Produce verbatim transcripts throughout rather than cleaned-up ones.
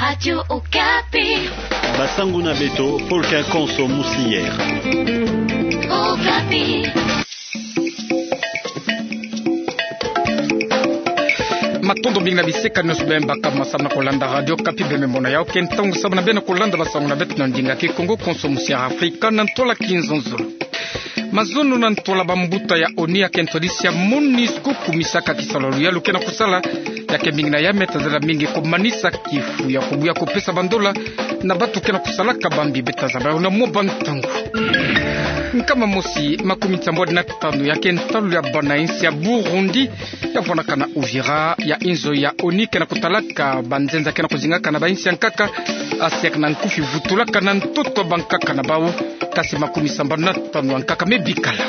Radio Okapi. Basango na beto, pôle konso mosinyere. Okapi. Matondo mingi na bisikani nyonso beno bakama samu na kolanda Radio Okapi, beno me mona yawu ke ntangu samu na beno kolanda basango na beto na ndinga kikongo konso mosinyere Afrika na ntwala kizunzulu. Mazono na ntwala bambuta ya ONU ya ke ntwadisi ya MONUSCO kumisaka kisalu ya luyalu ke na kusala, ya ke mingi na ya me tazela mingi komanisa kifu ya kobuya kopesa bandola na bantu ke na kusalaka bambi beta zabala na mwa bantangu. Nkama mosi makumi nsambwadi na tanu ya ke ntalu ya bana insi ya Burundi ya vwanaka na Uvira, ya inzo ya ONU ke na kutalaka banzenza ke na kuzingaka na bainsi ya nkaka, ACR na nkufi, vutulaka na ntoto bankaka na bawu, kasi makumi sambanu na tanu ya nkaka me bikala.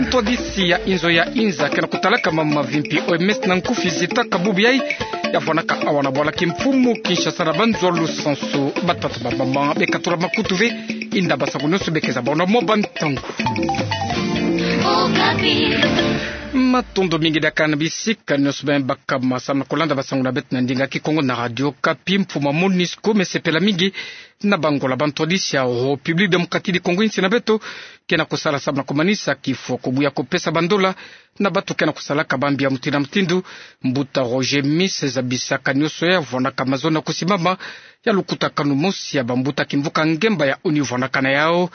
Ntwadisi ya inzo ya inza ke na kutalaka mambu mavimpi, OMS na nkufi, zitaka bubu yayi ya vwanaka awa na bwala kimfumu Kinshasa na banzo lusansu. Batata, bamama, bekatula makutu ve, inda basango nyonso bekeza bawu na mwa bantangu. Matondo mingi diaka na bisikani nyonso beno bakama samu na kolanda basango na beto na ndinga kikongo na Radio Okapi. Mfumu ya MONUSCO me sepela mingi na bangola bantwadisi ya République Démocratique du Congo, insi na beto ke na kusala samu na komanisa kifu ya kobuya kopesa bandola na bantu ke na kusalaka bambi ya mutindu na mutindu. Mbuta Roger Miss zabisaka nyonso ya vwanaka mazono na kusimama ya lukutakanu mosi ya bambuta kimvuka ngemba ya ONU vwanaka na yawu.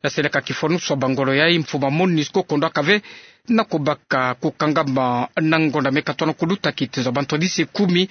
Ya seleka kifonusu ya bangolo yayi, mfumu ya MONUSCO kondwaka ve na kubaka kukangama na ngonda me katwa na kuluta kitezo ya bantwadisi kumi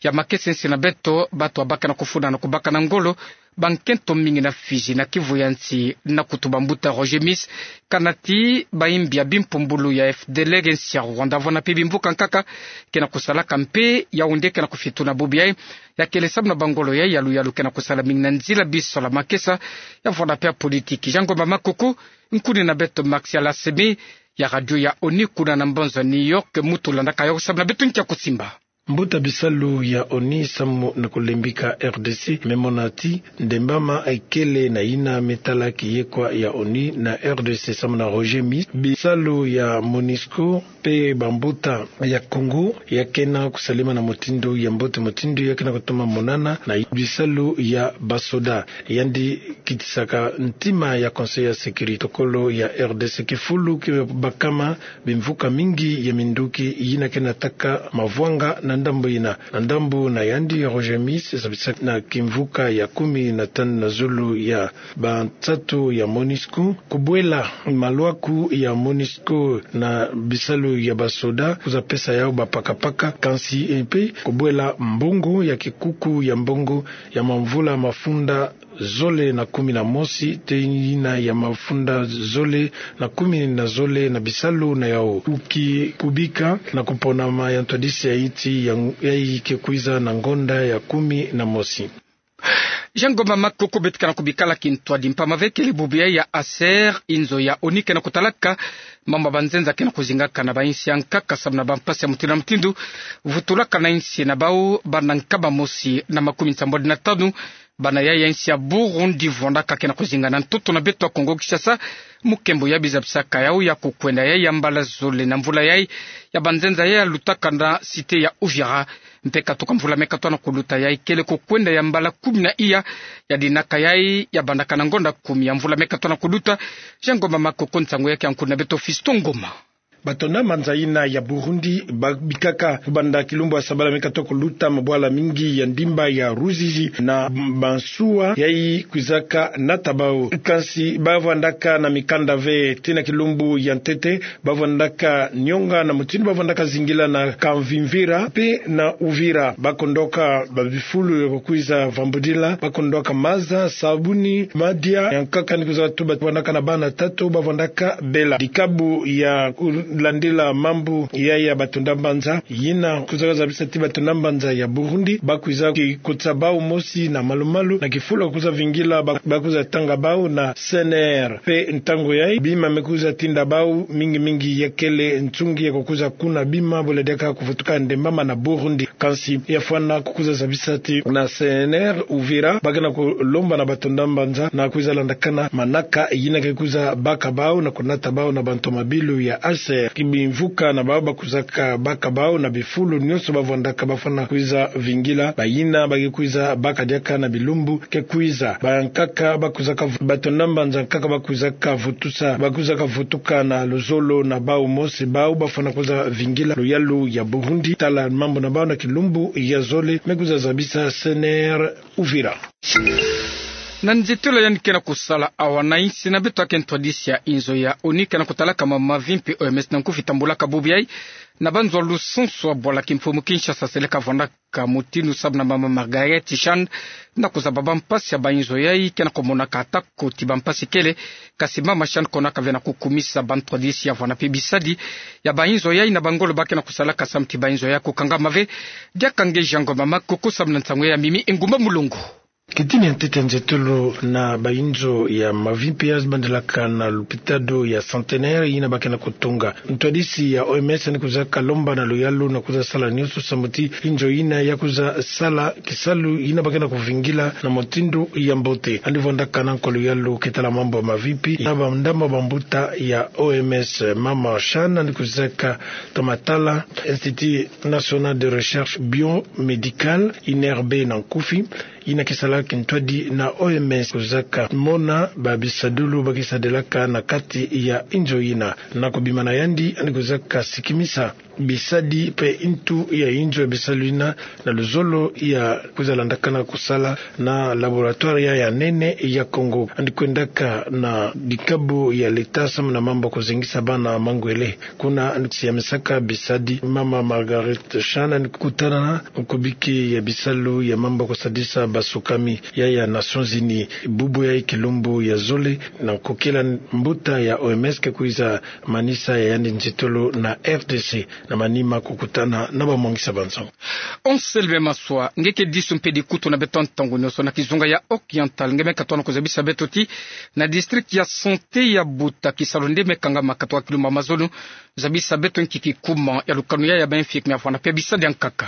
ya makesa, insi na beto, bantu babaka na kufuna na kubaka na ngolo bankento mingi na Fidji, na Kivu ya nsi, na kutuba. Mbuta Roger Miss kana ti bayimbi ya bimpumbulu ya FDLR nsi ya Rwanda, vwana mpe bimvuka nkaka ke na kusalaka mpe Yaoundé ke na kufituna bubu yayi. Ya kele samu na bangolo yayi ya luyalu ke na kusala mingi na nzila bisola makesa, ya vwana mpe ya politiki. Jean Ngoma Makoko, nkuni na beto Martial Assemi ya radio ya ONU kuna na mbanza New York, mutu landaka yawu samu na beto nkia kusimba. Mbuta, bisalu ya ONU samu na kulembika RDC me mona ti ndembama ikele na yina me tala kiyekwa ya ONU na RDC samu na Roger Miss. Bisalu ya MONUSCO mpe bambuta ya Congo ya ke na kusalema na mutindu ya mbote, mutindu ya ke na kutoma monana na bisalu ya basoda. Yandi kitisaka ntima ya Conseil ya Sécurité, tokolo ya RDC, kifulu ki bakama bimvuka mingi ya minduki yina ke nataka mavwanga na ndambu yina. Na ndambu na yandi, Roger Miss zabisaka na kimvuka ya kumi na tanu na zulu ya bansatu ya MONUSCO, kubwela malwaku ya MONUSCO na bisalu ya basoda, kwiza pesa yawu bapakapaka, kansi mpe kubwela mbongo ya kikuku ya mbongo ya mamvula mafunda zole na kumi na mosi, tee yina ya mafunda zole na kumi na zole na bisalu na yawu. Uki kubika na kuponama ya ntwadisi ya insi ya, yayi ke kwiza na ngonda ya kumi na mosi. Jean Ngoma Makoko, beto ke na kubikala kintwadi mpamba ve kele bubu yayi ya ACR, inzo ya ONU ke na kutalaka mambu ya banzenza ke na kuzingaka na bainsi ya nkaka samu na bampasi ya mutindu na mutindu, vutulaka na insi na bawu bana nkama mosi na makumi nsambwadi na tanu. Bana yayi ya insi ya Burundi vwandaka ke na kuzinga na ntoto na beto ya Congo Kinshasa, mu nkembo ya bizabisaka yawu ya kukwenda yayi ya mbala zole na mvula yayi ya banzenza yayi ya lutaka na cité ya Uvira. Mpe katuka mvula me katwa na kuluta yayi kele kukwenda ya mbala kumi na iya ya dinaka yayi ya bandaka na ngonda kumi ya mvula me katwa na kuluta. Jean Ngoma Makoko, nsangu ya ke ya nkuni na beto Fiston Ngoma. Batonda mbanza yina ya Burundi babikaka kubanda kilumbu ya sabala me katwa kuluta mabwala mingi ya ndimba ya Ruzizi na masuwa yayi kwizaka nata bawu. Kansi bavwandaka na mikanda ve ti na kilumbu ya ntete, bavwandaka nionga na mutindu bavwandaka zingila na Kavimvira mpe na Uvira. Bakondwaka babifulu ya kukwiza vambudila, bakondwaka maza, sabuni, madia ya nkaka ni kwiza tuba, bavwandaka na bana tatu, bavwandaka bela. Dikabu ya kulandila mambu yayi ya batonda mbanza yina kwizaka zabisa ti batonda mbanza ya Burundi bakwiza kikotisa bawu mosi na malumalu na kifulu ya kwiza vingila, ba-, bakwiza tanga bawu na CNR. Mpe ntangu yayi bima me kwiza tinda bawu mingi mingi ya kele nsungi ya kukwiza kuna bima bula diaka kuvutuka ndembama na Burundi. Kansi ya fwana kukwiza zabisa ti na CNR Uvira ba ke na kulomba na batonda mbanza na kwiza landakana manaka yina ke kwiza baka bawu na kunata bawu na bantomabilu ya ACR. Ki bimvuka na bau bakwizaka baka bau na bifulu nyonso bavwandaka bafwana kwiza vingila, bayina ba ke kwiza baka diaka na bilumbu ke kwiza. Bayankaka bakwizaka, bato na mbanza nkaka bakwizaka vutusa, bakwizaka vutuka na luzolo na bau mosi, bau bafwana kwiza vingila luyalu ya Burundi. Tala mambu na bau na kilumbu ya zole, me kwiza zabisa C N R Uvira. Na nzitulu yandi ke na kusala awa na insi na beto, ake ntwadisi ya inzo ya ONU ke na kutalaka ma mavimpi, O M S na nkufi, tambulaka bubu yai na banzo ya lusunsu ya bwala kimfumu Kinshasa seleka vwandaka mutinu, samu na mama Marguerite Chan, na kuzaba bampasi ya bainzo yai ke na kumonaka ata koti bampasi kele. Kasi mama Chan konaka ve na kukumisa bantwadisi ya vwanda mpe bisadi ya bainzo yai na bangolo ba ke na kusalaka samu ti bainzo yai kukangama ve. Diaka nge Jean Ngoma Makoko samu na nsangu ya mimi Engumba Mulongo. Kitini ya ntete nzitulu na bainzo ya mavimpi ya zibandilaka na lupitalo ya Centenaire yina ba ke na kutunga. Ntwadisi ya O M S yandi kwizaka lomba na luyalu na kwiza sala nyonso samu ti inzo yina ya kwiza sala kisalu yina ba ke na kuvingila na mutindu ya mbote. Yandi vwandaka na nko luyalu ke tala mambu ya mavimpi na bandambu ya bambuta ya O M S. Mama Chan yandi kwizaka kamatala Institut National de Recherche Biomédicale, INRB na nkufi, yina ke sala kintwadi na O M S, kwizaka mona babisadulu ba ke sadilaka na kati ya inzo yina. Na kubima na yandi, yandi kwizaka sikimisa bisadi mpe ntu ya inzo ya bisalu yina na luzolo ya kwiza landakana kusala na laboratoire ya nene ya Congo. Yandi kwendaka na dikabu ya leta samu na mambu ya kuzengisa bana mangwele. Kuna yandi siyamisaka bisadi. Mama Marguerite Chan yandi kutana na nkubiki ya bisalu ya mambu ya kusadisa basukami ya ya Nations Unies. Bubu yai kilumbu ya zole na nkokila mbuta ya O M S ke kwiza manisa ya yandi nzitulu na R D C na manima kukutana na bamwangisa bansangu. Anselme Maswa, nge ke disu mpe dikutu na beto ntangu nyonso na kizunga ya Oriental, nge me katono kuzabisa beto ti na district ya santé ya Buta kisalu nde me kangama katoka kilumbu ya mazono. Zabisa beto nki kikuma ya lukanu ya ya ba infirmier ya vwanda mpe bisadi ya nkaka.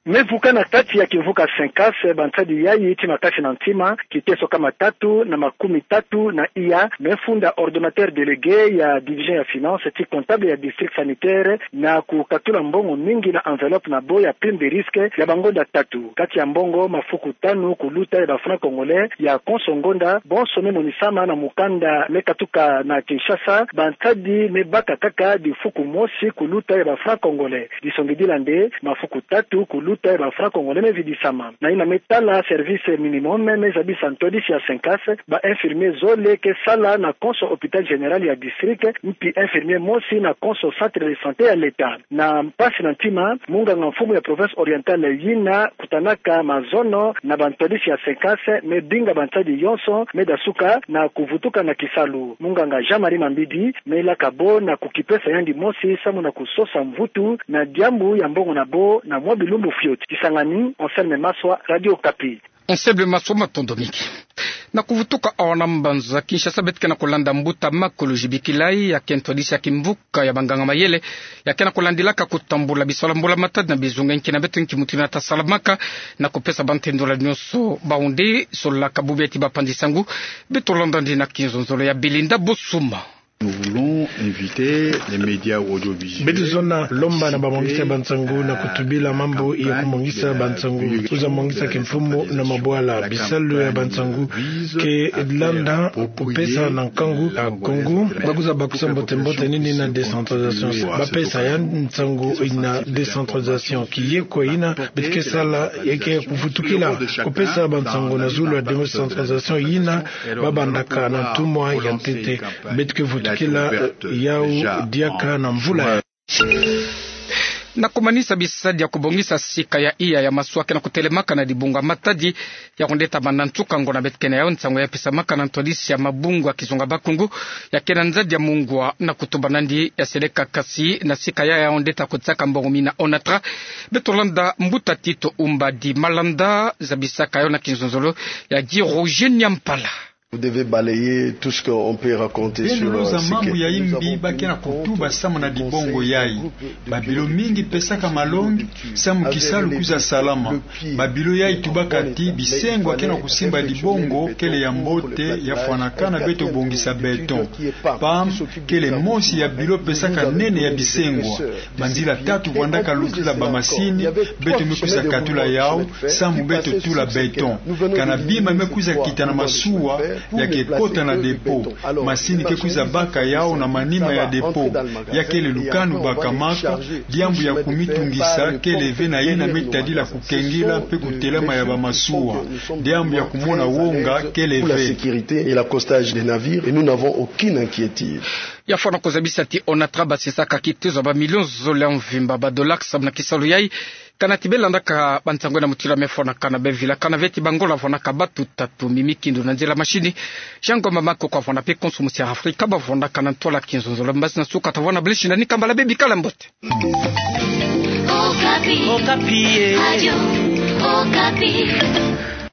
Me vuka na kati ya kimvuka Senkase, bansadi yayi ti makasi na ntima, kiteso kama tatu na makumi tatu na iya, me funda ordonnateur délégué ya division ya finance ti comptable ya district sanitaire, na kukatula mbongo mingi na enveloppe na bo ya prime de risque ya bangonda tatu. Kati ya mbongo mafuku tanu kuluta ya ba francs congolais ya konso ngonda, bonso me monisama na mukanda me katuka na Kinshasa, bansadi me baka kaka difuku mosi kuluta ya ba francs congolais. Disongidila nde mafuku tatu kuluta ya ba francs congolais me vidisama. Na yina me tala service minimum, me zabisa ntwadisi ya Senkase, ba infirmier zole ke sala na konso hôpital général ya district, mpi infirmier mosi na konso centre de santé ya leta. Na mpasi na ntima, munganga mfumu ya province orientale yina kutanaka mazono na bantwadisi ya Senkase me binga bansadi yonso me dasuka na kuvutuka na kisalu. Munganga Jean-Marie Mambidi me ilaka bo na kukipesa yandi mosi samu na kusosa mvutu na diambu ya mbongo na bo na mwa bilumbu fioti. Kisangani, Anselme Maswa, Radio Okapi. Anselme Maswa, matondo mingi. Na kuvutuka awa na mbanza Kinshasa, beto ke na kulanda mbuta Makolo Jibikilai, ya ke ntwadisi ya kimvuka ya banganga mayele, ya ke na kulandilaka kutambula bisalu ya mbula matadi na bizunga. Nki na beto, nki mutindu yina ta salamaka na kupesa bantendula nyonso bau nde solaka bubu ya ti bapanzi nsangu? Beto landa nde na kinzonzolo ya Belinda Bosuma. Nous voulons inviter les médias audiovisuels. Beto zona lomba na bamwangisi ya bansangu na kutubila mambu ya kumwangisa bansangu, kwiza mwangisa kimfumu na mabwala. Bisalu ya bansangu ke landa kupesa na nkangu ya Kongo ba kwiza bakisa mbote mbote nini na décentralisation. Bapesa ya nsangu na décentralisation. Kieko yina beto ke sala ya ke kuvutukila kupesa bansangu na zulu ya décentralisation yina ba bandaka na ntumwa ya ntete. Beto ke vutukila, eh, yau diaka na mvula. Na kumanisa bisadi ya kubongisa sika ya iya ya masuwa ke na kutelemaka na dibunga matadi, ya kundeta banda nsuka ngona beto ke na yau, nsangu ya pesamaka na ntwadisi ya mabungu ya kizunga Bakongo, ya ke na nzadi ya mungwa na kutuba nandi ya seleka kasi na sika ya ya ondeta kutsaka mbongo mina ONATRA. Beto landa mbuta Tito Umbadi Malanda, zabisaka yo na kinzonzolo ya Guy Roger Nyampala. Vous devez balayer tout ce qu'on peut raconter sur, euh, ce quai. Beno loza mambu ya imbi ba ke na kutuba samu na dibongo yayi. Babilo mingi pesaka malongi samu kisalu kwiza salama. Babilo yayi tubaka ti bisengwa ke na kusimba dibongo kele ya mbote, ya fwanakana beto bongisa beton. Pam, kele mosi ya bilo pesaka nene ya bisengwa. Banzila tatu vwandaka lutila bamasini, beto me kwiza katula yawu, samu beto tula beton. Kana bima me kwiza kita na masuwa, ya ke kota na dépôt. Masini ke kwiza baka yawu na manima ya dépôt. Ya kele lukanu bakamaka, diambu ya kumitungisa kele ve na yina me tadila kukengila mpe kutelama ya bamasuwa. Diambu ya kumona wonga kele ve. Pour la sécurité et l'accostage des navires, et nous n'avons aucune inquiétude. Ya fwana kuzabisa ti ONATRA basisaka kitezo ya bamilio zole ya mvimba, badollar, samu na kisalu yayi. Kana ti belandaka bansango ena mutindu ya me fwanakana, bevila kana ve ti bangola vwanaka batu tatu. Mimi Kindu na nzila masini, Jean Ngoma Makoko avwana mpe konso musi ya Afrika bavwanaka na ntwala ya kinzonzolo. Mbazi nasuka tavwana blishi na ni kambala, bebi kala mbote. Okapi. Okapi, eh. Radio Okapi.